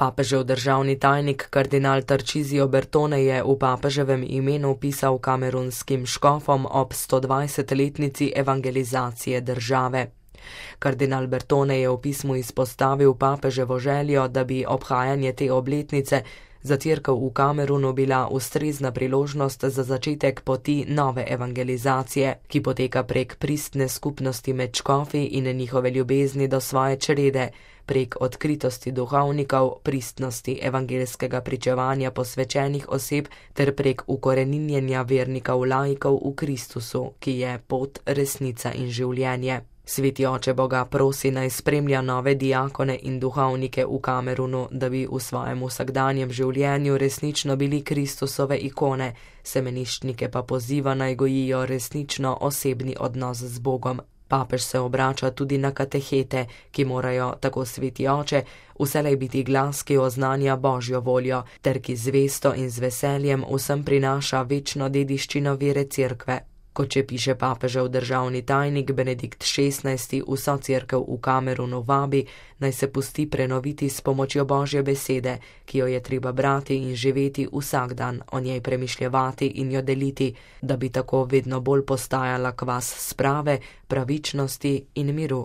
Papežev državni tajnik kardinal Tarcísio Bertone je v papeževem imenu pisal kamerunskim škofom ob 120-letnici evangelizacije države. Kardinal Bertone je v pismu izpostavil papeževo željo, da bi obhajanje te obletnice za Cerkev v Kamerunu bila ustrezna priložnost za začetek poti nove evangelizacije, ki poteka prek pristne skupnosti med škofi in njihove ljubezni do svoje črede, prek odkritosti duhovnikov, pristnosti evangelskega pričevanja posvečenih oseb ter prek ukoreninjenja vernikov laikov v Kristusu, ki je pot, resnica in življenje. Sveti oče Boga prosi naj spremlja nove diakone in duhovnike v Kamerunu, da bi v svojem vsakdanjem življenju resnično bili Kristusove ikone, semeniščnike pa poziva naj gojijo resnično osebni odnos z Bogom. Papež se obrača tudi na katehete, ki morajo, tako sveti oče, vselej biti glas, ki oznanja Božjo voljo, ter ki zvesto in z veseljem vsem prinaša večno dediščino vere Cerkve. Kot če piše papežev državni tajnik Benedikt XVI, vso Cerkev v Kamerunu vabi, naj se pusti prenoviti s pomočjo Božje besede, ki jo je treba brati in živeti vsak dan, o njej premišljevati in jo deliti, da bi tako vedno bolj postajala kvas sprave, pravičnosti in miru.